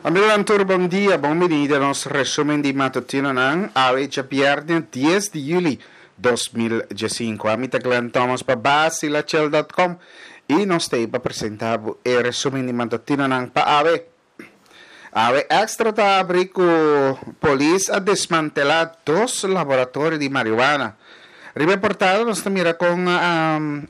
Amigonan tur bon dia, bon bini den nos resumen di matutinonan awe djabierne dies di juli 2015. Ami ta Glenn Thomas pa Basilachel.com y nos ta ey pa presenta bo e resumen di matutinonan pa awe. Awe Extra ta abri cu polis a desmantela dos laboratorio di marihuana. Riba e portada nos ta mira con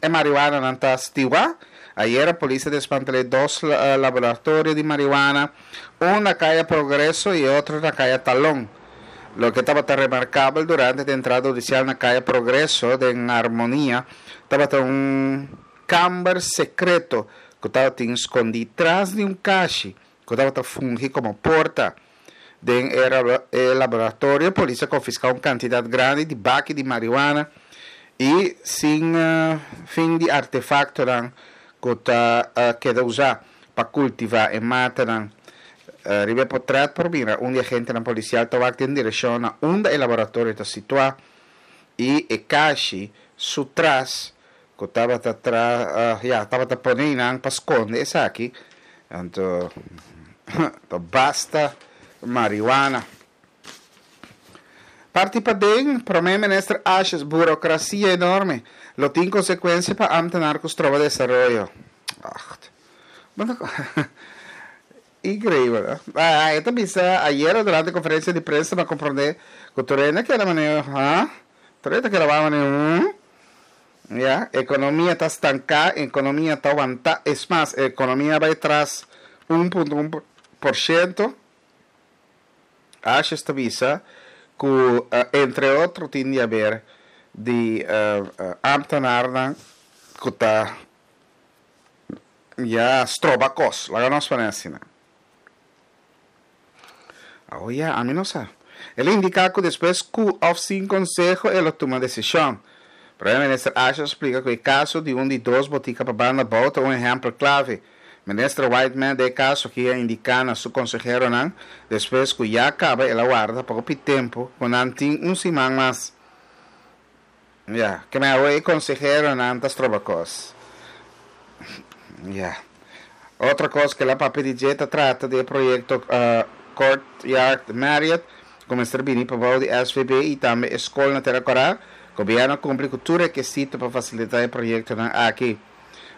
e marihuananan ta stiwa. Ayera polis a desmantel'é dos laboratorio di marihuana, un na Kaya Progreso i e otro na Kaya Talon. Loke tabata remarkabel durante di entrada hudisial na Kaya Progreso den Harmonia tabata un kamber sekreto ku tabatin skondí tras di un kashi ku tabata fungi komo porta. Den e laboratorio polis a konfiská un kantidat grandi di baki di marihuana i sin fin di artefaktonan ku ta keda usá pa kultivá e matanan. Riba e potrèt por mira un di agentenan polisial ta wak den direkshon na unda e laboratorio ta situá i e kashi su tras Ku tabata tra ya tabata pone nan pa skonde esaki anto ta basta marihuana. Parti paden Prome Minister Asjes burokrasia enorme lo tin konsekuensia pa amtenar ku stroba desaroyo. Acht. Increibel. E ta bisa ayera durante konferensia di prensa pa komprende ku tur hende a keda manera ha? Tur hende ta keda wak manera hmm? Ya, ekonomia ta stanká, ekonomia ta wantá, es mas, ekonomia a bai tras 1.1%. Asjes ta bisa ku entre otro tin di haber di ámtenarnan ku ta ya stroba kos, laga nos pone asina. Awo ya, ami no sa. El a indiká ku despues ku òf sin konseho e lo tuma desishon. Prome Minister Asjes a splika ku e kaso di un di dos botika pa banda bou ta un ehèmpel klave. Minister Whiteman den e kaso aki a indiká na su konseheronan despues ku ya kaba el a warda pa hopi tempu ku nan tin un siman mas. Ya, ke men awe e konseheronan ta stroba kos. Ya. Otro kos ke la papia di dje ta trata di e proyekto Courtyard Marriott ku mester bini pa bou di SVB i tambe e skol na Tera Kòrá. Gobièrnu a kumpli ku tur rekesito pa fasilitá e proyektonan aki.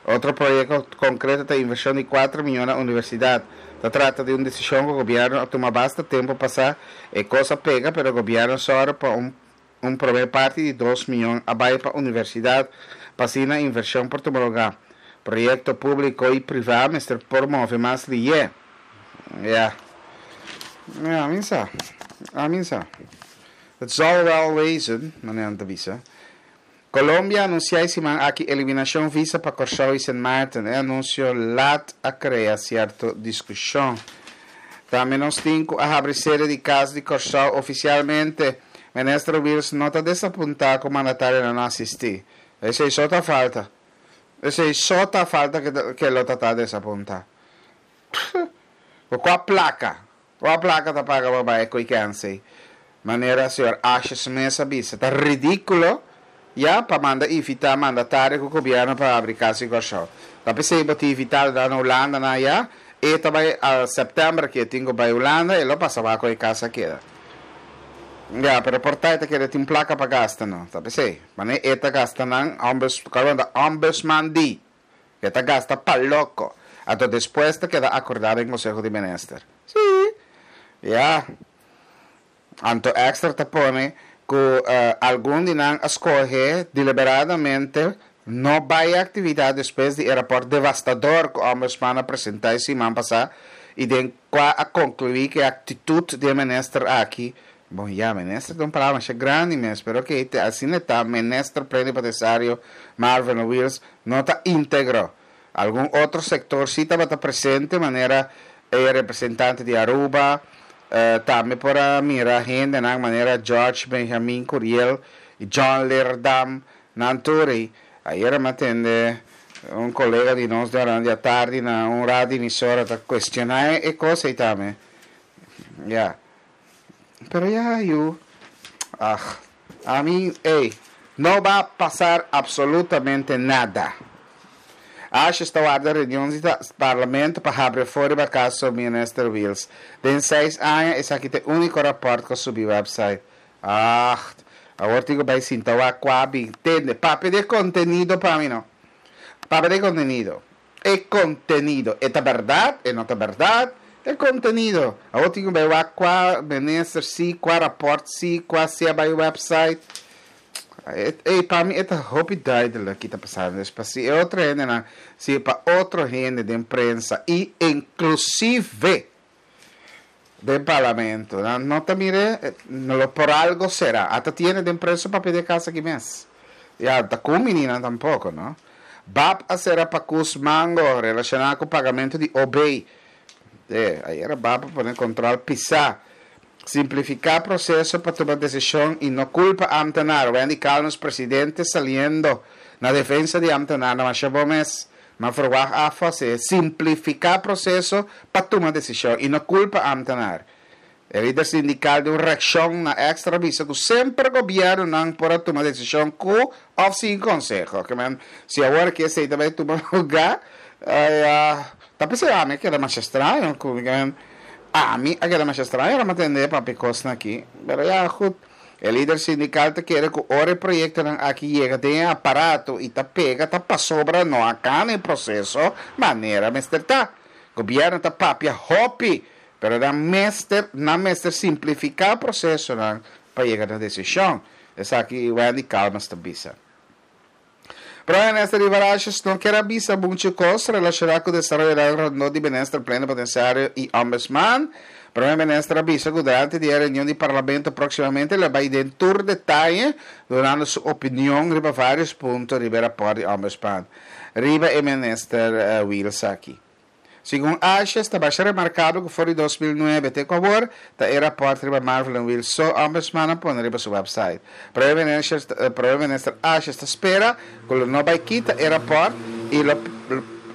Otro proyekto konkreto ta invershon di kuater miyon na universidat. Ta trata di un desishon ku gobièrnu a tuma basta tempu pasá. E kos a pega pero gobièrnu a sòru pa un Un promé parti di dos miyon a bai pa universidat pa asina invershon por tuma lugá. Proyekto públiko i privá mester por move mas lihé. Ya. Ya, mi sa. Ami sa. Het zal wel wezen, manera nan ta bisa. Colombia a anunsiá e siman aki eliminashon visa pa Kòrsou i Sint Maarten. E anunsio lat a krea sierto diskushon. Tambe nos tin ku a habri sede di Kas di Kòrsou ofisialmente. Minister Wiels no ta desapuntá ku mandatarionan no asistí. Esei so ta falta. Esei so ta falta ke lo ta ta desapuntá. Ku kua plaka? Kua plaka ta paga pa bai koe kensey? Manera señor Asjes mes a bisa, ta ridíkulo ya pa manda invitá mandatario ku gobièrnu pa habri kas di Kòrsou. Ta p'esei bo tin invitado na Hulanda nan ya, e ta bai sèptèmber ke e tin ku bai Hulanda, e lo pasa wak koe kas a keda. Ya, pero por ta e ta kere tin plaka pa gasta no. Ta p'esei, manera e ta gasta nan, ombudsman di. E ta gasta pa loko. Anto despues ta keda akordá den Konseho di Minister. Sí. Ya. Anto Extra ta pone ku algun di nan a skohe deliberadamente no bai e aktividat despues di e rapòrt devastador ku Ombudsman a presentá e siman pasá i den kua a konkluí ku e aktitut di e minister aki Bon ya, minister ta un palabra masha grandi mes, pero oke, te asina e ta, minister plenipotensiario Marvin Wiels no ta integro. Algun otro sector si tabata presente, manera e representante di Aruba, tambe por a mira hendenan manera George Benjamin Curiel y John Leerdam, nan tur ey. Ayera mi a tende un colega di nos durante di atardi na un radio emisora ta cuestiona e cos ey tambe. Ya. Pero ya yu, ach, ami, ey, no ba pasar absolutamente nada. Asjes ta warda reunion di Parlamento pa habri afó riba kaso Minister Wiels. Den seis aña esaki ta e úniko rapòrt ku a subi wèpsait. Agt, awor tin ku bai sinta wak kua bin. Tende, papia di e kontenido pa mi no. Papia di e kontenido. E kontenido. E ta bèrdat? E no ta bèrdat? E kontenido. Awor tin ku bai wak kua minister si, kua rapòrt si, kua si a bai wèpsait. Ey, pa mi e ta hopi duidelijk ki ta pasando. Dus pa si e otro hendenan, si pa otro hende den prensa i inklusive den parlamento, nan no ta mir'é, lo por algo será. Ata tiene den prensa papia di e kas aki mes. Ya, ta ku mininan tampoko, no? Bab a sera pakus mango relashoná ku pagamentu di OB. E, ayera Bab a pone kontrol pisá. Simplifiká proseso pa tuma desishon i no kulpa ámtenar, Wendy Calmes presidente saliendo na defensa di ámtenar na masha bon mes. Ma verwagt afo si simplifiká proseso pa tuma desishon i no kulpa ámtenar. E lider sindikal den un reakshon na Extra a bisa ku semper gobièrnunan por a tuma desishon ku òf sin konseho. Ke men si awor aki esei ta bai tuma lugá, ta p'esei ami a keda masha straño ku Ami a keda masha straño ora mi a tende e papia kosnan aki, pero ya goed. E lider sindikal ta kere ku ora e proyektonan aki yega den e aparato i ta pega ta pasobra no a kana e proseso manera mester ta. Gobièrnu ta papia hopi, pero nan mester nan mester simplifiká prosesonan pa yega na desishon. Esaki Wendy Calmes ta bisa. Prome Minister Riva Rajs no kier a bisa mucho cos relaciona cu desaroyonan rondó di Minister Plenipotenciario y Ombudsman. Prome Minister a bisa cu durante di e reunion di Parlamento proximamente lo bay den tur detaye dunando su opinion riba varios punto riba e raport di Ombudsman. Riba e Minister Wiels aki. Segun Asjes, ta basha remarkabel ku for di 2009 te ku awor, ta e rapòrt riba Marvelyne Wiels so Ombudsman a pone riba su wèpsait. Prome Minister Prome Minister Asjes ta spera ku lo no bai kita e rapòrt i lo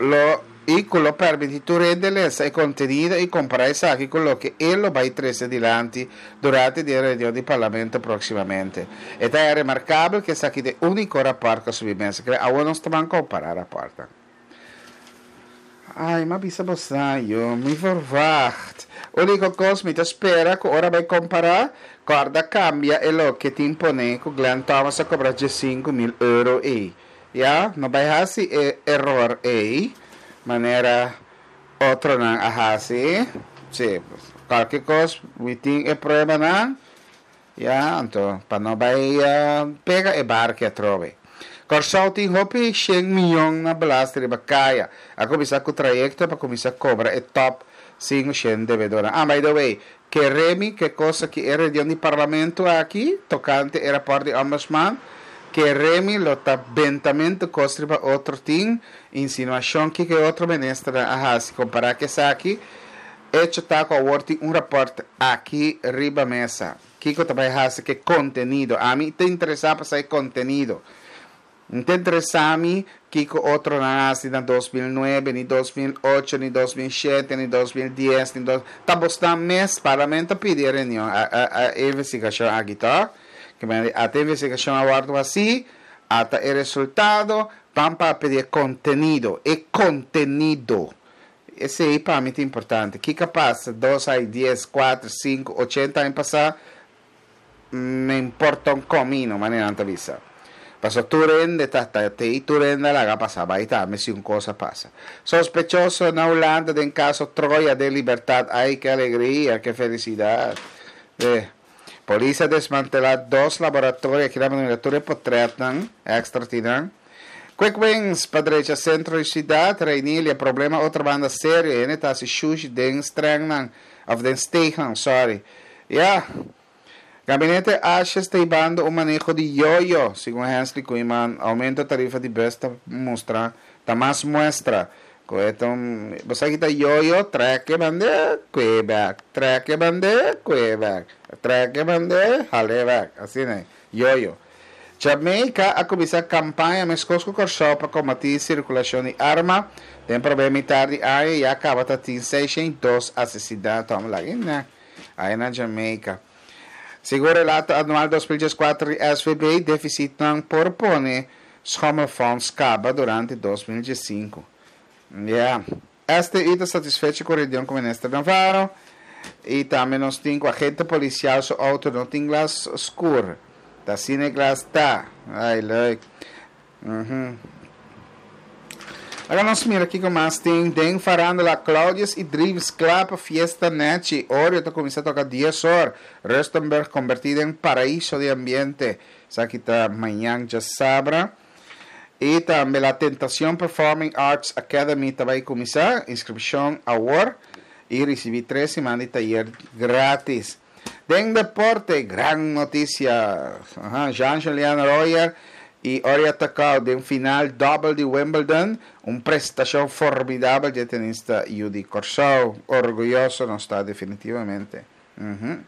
lo i ku lo permití tur hende lesa e kontenido i kompará esaki ku loke e lo bai trese dilanti durante di e reunion di Parlamento próksimamente. E ta remarkabel ku esaki ta e úniko rapòrt ku a subi mesa. Kre awor nos ta ban kompará rapòrtnan. Ai, m'a bisa bosa yo, mi verwacht. Úniko kos mi ta spera ku ora bai kompará, kòrda kambia e loke tin pone ku Glenn Thomas a kobra 15,000 euro ei. Ya, no bai hasi e eror ei manera otronan a hasi. Sí, kualke kos mi tin e pruebanan. Ya, anto pa no bai pega e barke atrobe. Kòrsou tin hopi shen miyon na belasting riba kaya. A kuminsá ku trayekto pa kuminsá kobra e tòp 500 debedónan. Ah, by the way, kere mi ke kos aki e reunion di parlamento aki tokante e rapòrt di Ombudsman, kere mi lo ta bentamentu kos riba otro tin insinuashon kiko e otro ministernan a hasi kompará ku esaki. Echo ta ku awor tin un rapòrt aki riba mesa. Kiko ta bai hasi ku e kontenido? Ami ta interesá pa sa e kontenido. N ta interesá mi kiko otronan a hasi na 2009, ni 2008, ni 2007, ni 2010, ni dos. Ta bosnan mes, Parlamento a pidi e reunion, a e investigashon aki tòg? Ke manera di ata e investigashon a wòrdu hasí, ata e resultado, ban papia di e kontenido, e kontenido. Esei pa mi ta importante. Kiko a pasa dos ai, dies, kuater, sinku, ochenta aña pasá, me importa un comino, manera nan ta bisa. Pasobra tur hende ta ta tei, tur hende a laga pasa bai tambe si un kos a pasa. Sospechoso na Hulanda den kaso Troya den libertad, ai ke alegria, ke felisidat. Eh, polis a desmantelá dos laboratorio, aki nan a mira tur e potretnan, extra tin nan. Quick wins pa drecha centro di ciudad, Reinilia, problema otro banda serio, hende ta haci shushi den strengnan, of den steegnan, sorry. Ya, Gabinete Asjes ta hibando un maneho di yoyo, segun Hensley Koeiman, aumento tarifa di bus ta mustra, ta mas muestra cu e ta un, bo sa ki ta yoyo, trek e bande, cue bek, trek e bande, cue bek, trek e bande, hale bek, asina e, yoyo. Jamaica a kuminsá kampaña meskos ku Kòrsou pa kombatí sirkulashon di arma. Den promé mitar di aña ya kaba ta tin 602 asesinato. Amo laga e aya na Jamaica. Segun relato anual 2014 di SVB, defisitnan por pone. Schommelfonds kaba durante 2015. Yeah. STI ta satisfecho ku reunion ku Minister Navarro i tambe nos tin ku agente polisial su outo no tin glas skur. Ta asina e glas ta. Ai leuk. Mhm. Laga nos mira kiko mas tin den farándula. Claudius i Dreams kla pa fiesta nechi. Oreo ta kuminsá toka dies or. Rustenburg kombertí den paraiso di ambiente. Esaki ta mañan djasabra. I tambe La Tentacion Performing Arts Academy ta bai kuminsá. Inskripshon awor i risibí tres siman di tayer grátis. Den deporte, gran notisia. Aha, Jean-Julien Royer i Oria Tecau den final dòbel di Wimbledon. Un prestashon formidabel dje tenista yu di Kòrsou. Orguyoso nos ta definitivamente. Uhum.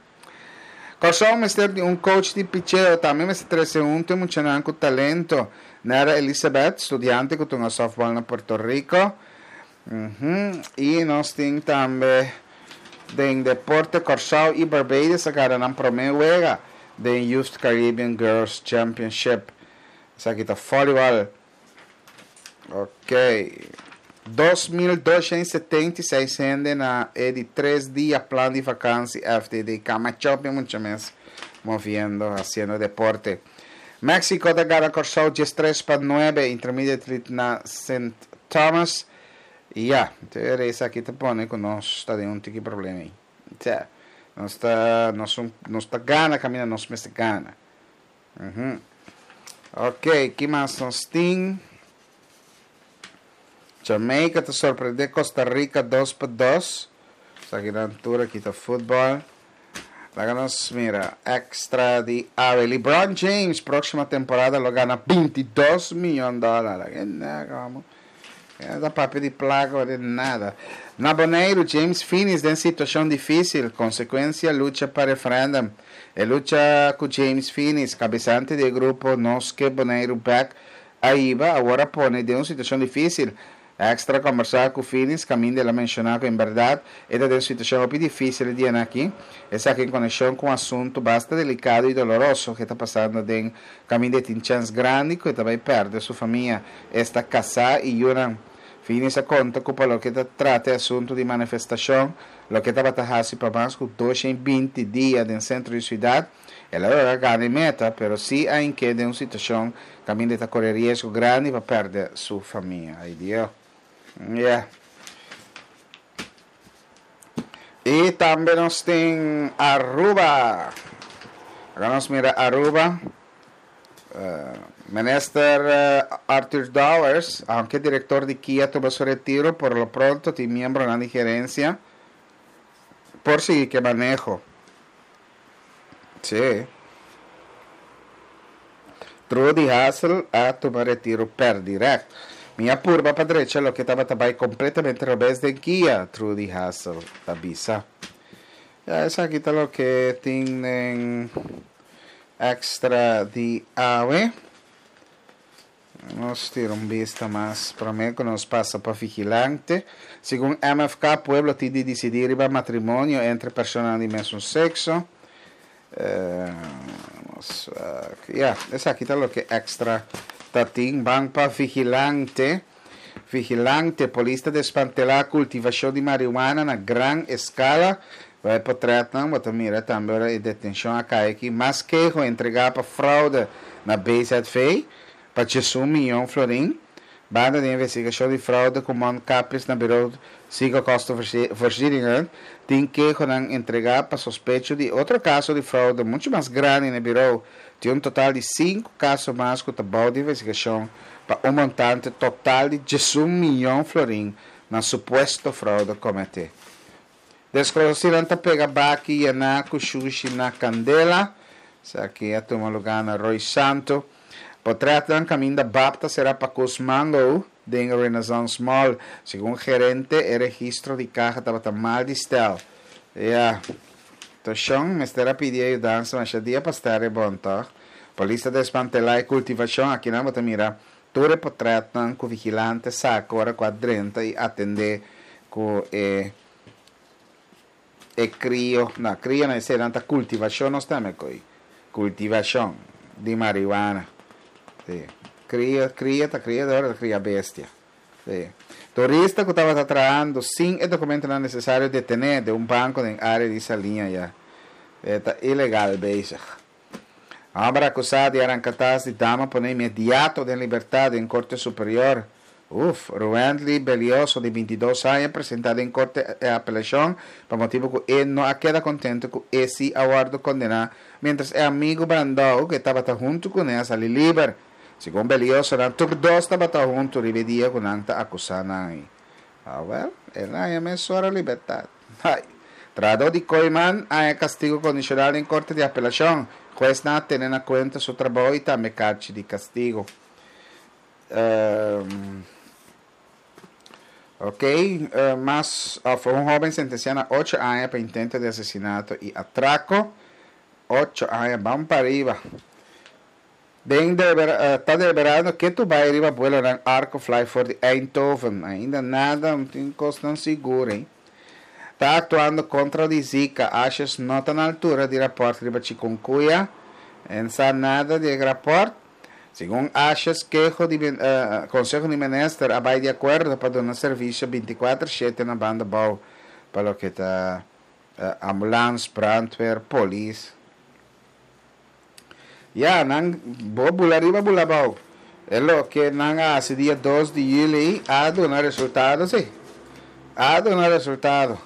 Kòrsou mester di un coach di picheo, tambe mester trese huntu e muchanan ku talento. Nera Elizabeth, studiante ku tunga softball na Puerto Rico. Uhum. I nos tin tambe den deporte Kòrsou i Barbados a gana nan promé wega den Youth Caribbean Girls Championship. Esaki ta volleyball. Ok. 2276 hende na e di tres dia plan di vakansi FDD. Kamachopi mucha mes moviendo, haciendo deporte. Mexico ta gana Kòrsou 13-9 Intermediate League na Sint Thomas. I ya, te esaki ta pone ku nos ta den un tiki problema ei. Tja, nos ta, nos, nos ta gana kaminda nos mester gana. Uhum. Ok, ki mas nos tin? Jamaica ta sorprende Costa Rica 2-2. Esaki nan tur aki ta futbol. Laga nos mira extra di awe. LeBron James próxima temporada lo gana 22 miljoen dòler. E ta papia di plaka o di nada. Na Boneiru, James Finies den situashon difísil, konsekuensia lucha pa referèndum. E lucha ku James Finies, kabesante di e grupo Nos Ke Boneiru Bèk, a hiba, awor a pone den un situashon difísil. Extra a kombersá ku Finies kaminda el a menshoná ku en bèrdat e ta den un situashon hopi difísil e dianan aki, esaki en konekshon ku un asuntu basta delikado i doloroso ku e ta pasando den kaminda e tin chèns grandi ku e ta bai pèrdè su famia. Esta kasá i yunan. Finis a konta ku pa loke ta trata e asuntu di manifestashon, loke tabata hasi pa mas ku 220 dia den sentro di siudat, el a logra gana e meta, pero sí a hink'é den un situashon kaminda e ta kore riesgo grandi pa pèrdè su famia. Ay Dio. Ya. I tambe nos tin Aruba. Aga nos mira Aruba. Minister Arthur Dowers, aunke director di kia tuma su retiro, por lo pronto tin miembronan di gerencia por sigui ke maneho. Sí. Trudy Hassel a tuma retiro per direct. Mi a purba pa drecha loke tabata bai completamente robes den kia, Trudy Hassel ta bisa. Ya, esaki ta loke tin den Extra di awe. Nos tira un bista mas prome ku nos pasa pa Vigilante. Segun MFK, pueblo tin di disidí riba matrimonio entre personanan di mesun sekso. Ya, esaki ta loke Extra ta tin. Ban pa Vigilante. Vigilante, Polis ta desmantelá kultivashon di marihuana na gran eskala. Bai potrètnan bo ta mira tambe ora e detenshon a kai aki. Mas keho entregá pa fraude na BZV pa 11 miyon florin. Banda di investigashon di fraude ku mondkapjes na Bureau Ziekenkostenvoorzieningen tin kehonan entregá pa sospecho di otro kaso di fraude muchu mas grandi na e birou. Tin un total di sinku kaso mas ku ta bou di investigashon pa un montante total di 11 miyon florin na supuesto fraude kometé. Deskonosínan ta pega baki yená ku shushi na kandela. Esaki a tuma lugá na Rooi Santu. Potrètnan kaminda bab ta será pa kus mango den Renaissance Mall. Segun gerente, e registro di kaha tabata mal di stèl. Ya. Toshon mester a pidi e yudansa masha dia pa stèr e bon, tòg? Polis ta desmantelá e kultivashon. Akinan bo ta mira tur e potrètnan ku vigilante saka ora ku a drenta i atendé ku e e krio, no, krio no, eseinan ta kultivashon nos ta mekoi, kultivashon di marihuana, si. Kria, kria ta kria, ta kria bestia. Sí. Turista ku tabata trahando sin e dokumentonan nesesario detené den un banko den área di Saliña ya. E ta ilegal bezig. Hòmber akusá di aranka tas di dama pone inmediato den libertat den Korte Superior. Uf, Ruendly Belioso di 22 aña presentá den Korte e apelashon pa motibu ku e no a keda kontentu ku e si a wòrdu kondená miéntras e amigu Brandou ku e tabata huntu kuné a sali liber. Segun Belioso nan tur dos tabata huntu riba e dia ku nan ta akusá nan ei. Awèl, el a haña mesora libertat. Ai! Trahadó di Kooiman a haña kastigu kondishonal den korte di apelashon. Huesnan a tene na kuenta su trabou i tambe karchi di kastigu. Ok, mas òf un hóben sentensiá na ocho aña pa intento di asesinato i atrako. Ocho aña, ban pa riba. Den ta deliberando ke tu bai riba buelonan Arco Fly for di Eindhoven. Ainda nada, no tin kosnan sigur ei. Ta aktuando kontra di Zika. Asjes no ta na altura di rapòrt riba chikungunya. En sa nada di e rapòrt. Segun Asjes keho di Konseho di Minister a bai di akuerdo pa duna servisio 24 shete na banda bou pa loke ta ambulans, brandweer, polis. Ya, nan bo bula riba bula abou. E loke nan a hasi dia dos di yüli a duna resultado si. A duna resultado.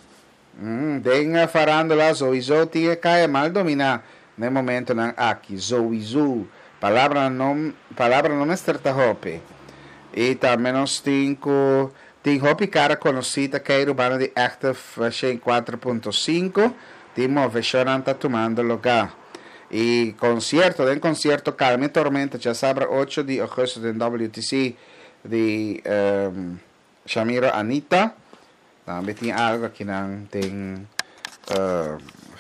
Den farándula souiso tin e kaya mal dominá na e momentonan aki. Souiso. Palabranan no palabra no mester ta hopi. I tambe nos tin ku tin hopi kara konosí ta keiru banda di Active 104.5. Tin moveshonnan ta tumando lugá. I konsierto, den konsierto Calme Tormenta djasabra ocho di augustus den WTC di Shamiro Anita. Tambe tin algu akinan den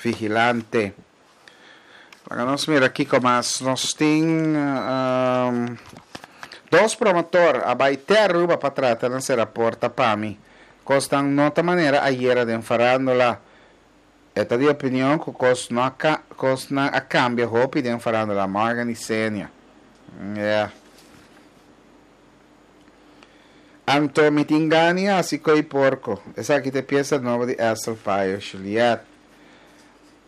Vigilante. Laga nos mira kiko mas nos tin. Dos promotor a bai te Aruba pa trata na sera porta pa mi. Kosnan no ta manera ayera den farándula. E ta di opinion ku kos no a kosnan a kambia hopi den farándula Morgan i Senia. Yeah. Anto mi tin gana i hasi ko'i porko. Esaki ta e piesa nobo di Esther Payo Juliet.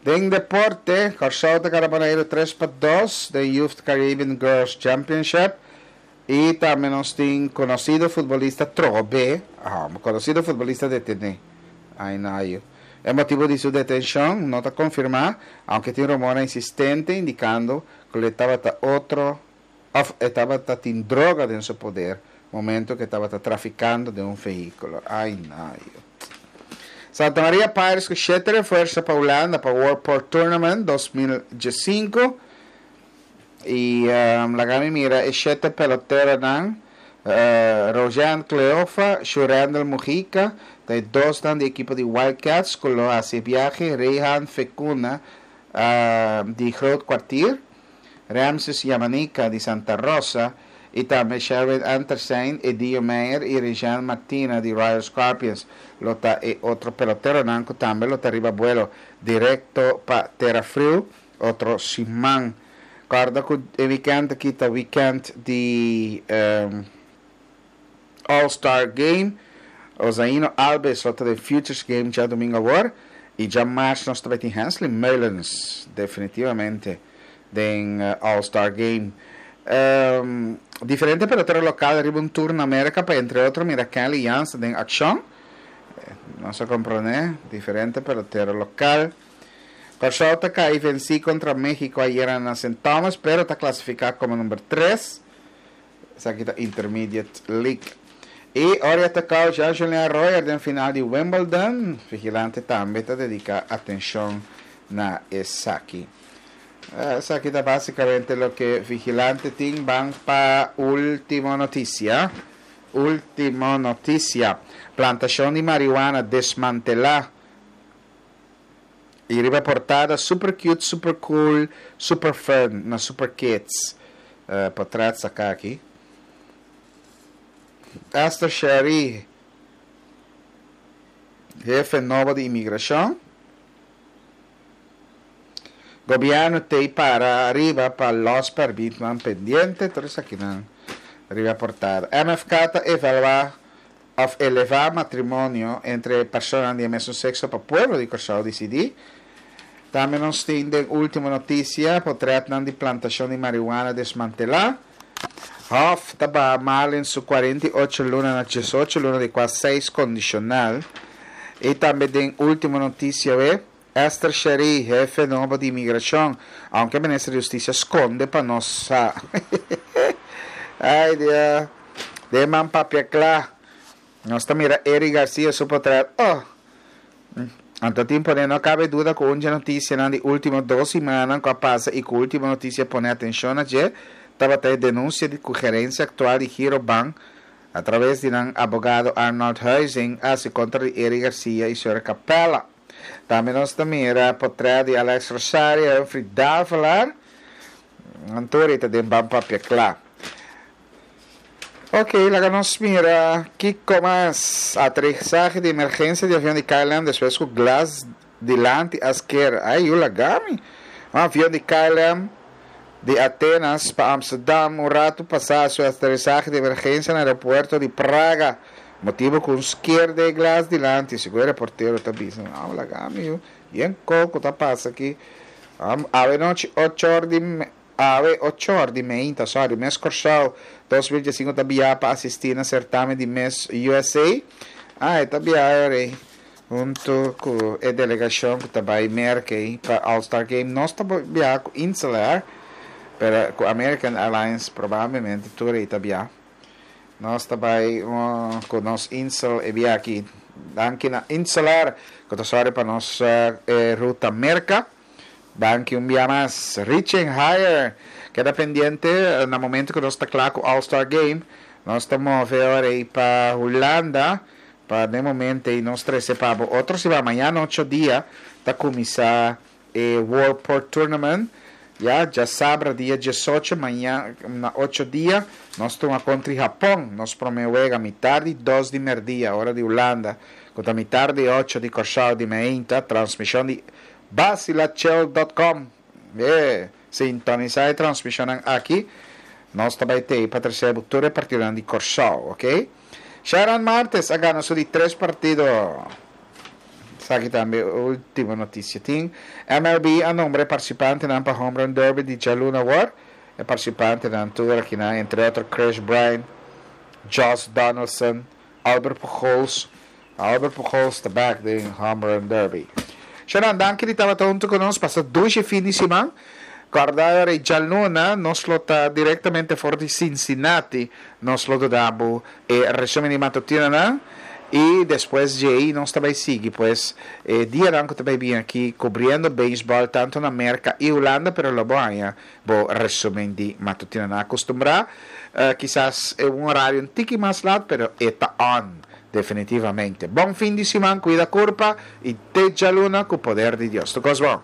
Den deporte, Kòrsou ta gana Boneiru 3-2 den Youth Caribbean Girls Championship. I tambe nos tin konosido futbolista trobe, konosido futbolista detené. Ai nayo. E motibu di su detenshon no ta konfirmá, aunke tin rumornan insistente indikando ku lo e tabata otro òf e tabata tin droga den su poder momento ku e tabata trafikando den un vehíkulo. Ai nayo. Santa Maria Pirates ku shete refuerso pa Hulanda pa World Port Tournament 2015. I laga mi mira e shete peloteronan, Rojean Cleofa, Shurendel Mujica, ta e dosnan di ekipo di Wild Cats ku lo hasi e biahe, Reyhan Fecuna di Groot Kwartier, Ramses Yamanica di Santa Rosa i tambe Sherwin Antersein, Edillo Meyer i Rejean Martina di Royal Scorpions lo ta e otro peloteronan ku tambe lo ta riba buelo direkto pa Tera Friu. Otro siman. Corda cu e weekend aki ta weekend di All Star Game. Ozaino Alves lo ta den Futures Game djadomingo awor. Y djamars nos ta bay tin Hensley Meulens definitivamente den All Star Game. Diferente pelotero local riba un tour na America pa entre otro mira Kenley Jansen den accion. Nos a comprende diferente pelotero local. Kòrsou ta kai vensí kontra México ayera na Sint Thomas pero ta klasifiká komo number tres. Esaki ta Intermediate League. I ora ya ta kau ja Julian Royer den final di Wimbledon. Vigilante tambe ta dediká atenshon na esaki. Esaki ta básikamente loke Vigilante tin. Ban pa último notisia. Último notisia. Plantashon di marihuana desmantelá. I riba e portada super cute, super cool, super fun na super kids. Portret saca aki. Esther Sherry, hefe nobo di imigracion. Gobierno t'ey para ariba pa los permitnan pendiente, tur esakinan. Riba portada. MFK ta evaluá òf elevá matrimonio entre personanan di e mesun sekso pa pueblo di Kòrsou disidí. Tambe nos tin den último notisia potrètnan di plantashon di marihuana desmantelá. Hof ta baha Marlin su 48 luna na 18 luna di kua seis kondishonal. I tambe den último notisia we, Esther Sherry, hefe nobo di imigrashon, aunke minister di hustisia skonde pa nos sa. Ay Dios. Den man papia kla. Nos ta mira Eric Garcia su potret. Oh! Anto tin pone no cabe duda cu un dje noticianan di ultimo dos simannan cu a pasa y cu ultimo noticia pone atencion na dje tabata e denuncia di cu gerencia actual di Girobank a traves di nan abogado Arnold Huizing a haci contra di Eric Garcia y Sra. Capella. Tambe nos ta mira potret di Alex Rosario y Humphrey Davelaar. Nan tur ei ta den Ban Papia Cla. Ok, laga nos mira kiko mas. Aterisahe di emergensia di avion di KLM despues ku glas dilanti a sker. Ay, yu laga mi. Un avion di KLM di Atenas pa Amsterdam un ratu pasá su aterisahe di emergensia na aeropuerto di Praga. Motibu ku un sker den e glas dilanti, segun e reportero ta bisa. Aw, laga mi yu. Yen koko ta pasa aki. Awe nochi ocho or di. Awe ochor di meinta, sorry, Miss Kòrsou 2015 ta biaha pa asistí na sertamen di Miss USA. Ah, e ta biaha ora ei huntu ku e delegashon ku ta bai Merka ei pa All Star Game. Nos ta biaha ku Insel Air, pero ku American Airlines probablemente tur ei ta biaha. Nos ta bai ku nos Insel e biaha aki. Danki na Insel Air ku ta sòru pa nos e ruta Merka. Danki un bia mas. Reaching Higher! Keda pendiente na momento ku nos ta kla ku All Star Game. Nos ta move ora ei pa Hulanda pa den momento ei nos trese pa bo otro siman. Mañana ocho dia ta kuminsá e World Port Tournament. Ya djasabra dia diesocho mañana na ocho dia nos tuma kontri Hapon. Nos promé wega mitar di dos di merdia ora di Hulanda ku ta mitar di ocho di Kòrsou di meinta. Transmishon di Bacilachel dot com E sintonisá e transmishonnan aki. Nos ta bai tei pa trese bo tur e partidonan di Kòrsou, ok? Sharon Martes a gana su di tres partido. Esaki tambe último notisia tin. MLB a nombra e partisipantenan pa Home Run Derby di djaluna awor. E partisipantenan tur akinan, entre otro Kris Bryant, Josh Donaldson, Albert Pujols, Albert Pujols ta back den Home Run Derby. Sharon, danki di tabata hunto cu nos. Pasa dushi fin di siman. Corda ora e djaluna nos lo ta directamente for di Cincinnati. Nos lo duda bo e resumen di matutinonan y despues djei nos ta bay sigui pues e dianan cu ta bay bin aki cubriendo baseball tanto na Merca y Hulanda pero lo bo haña bo resumen di matutinonan acostumbra. Kisas e un horario un tiki mas lat pero e ta on. Definitivamente. Bon fin di siman, cuida curpa y te djaluna cu poder di Dios. Tur cos bon.